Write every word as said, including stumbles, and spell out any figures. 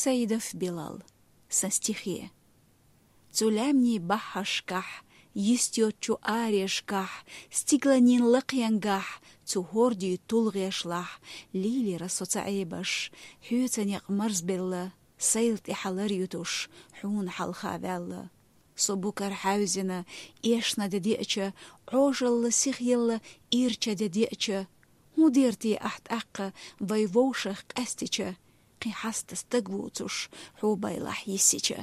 Саидов Билал. Сан стихе. Цу лаьмнийн баххьашкахь, йист йоцчу арешкахь, стигланийн лакхенгахь, цу хӀордийн тулгӀешлахь, лийлира со ца Ӏебаш, хьоьца некъ марзбелла, сайл тӀе хьалар ютуш, хьуна хьалха ваьлла. Со букар хьаьвзина, эшна де деача, Ӏожалла сихъелла ирча де деача, хӀун дер те ахь тӀаккха вай вовшах къаьстича, кхин хьаста стаг вуцуш, хьо байлахь йиссича?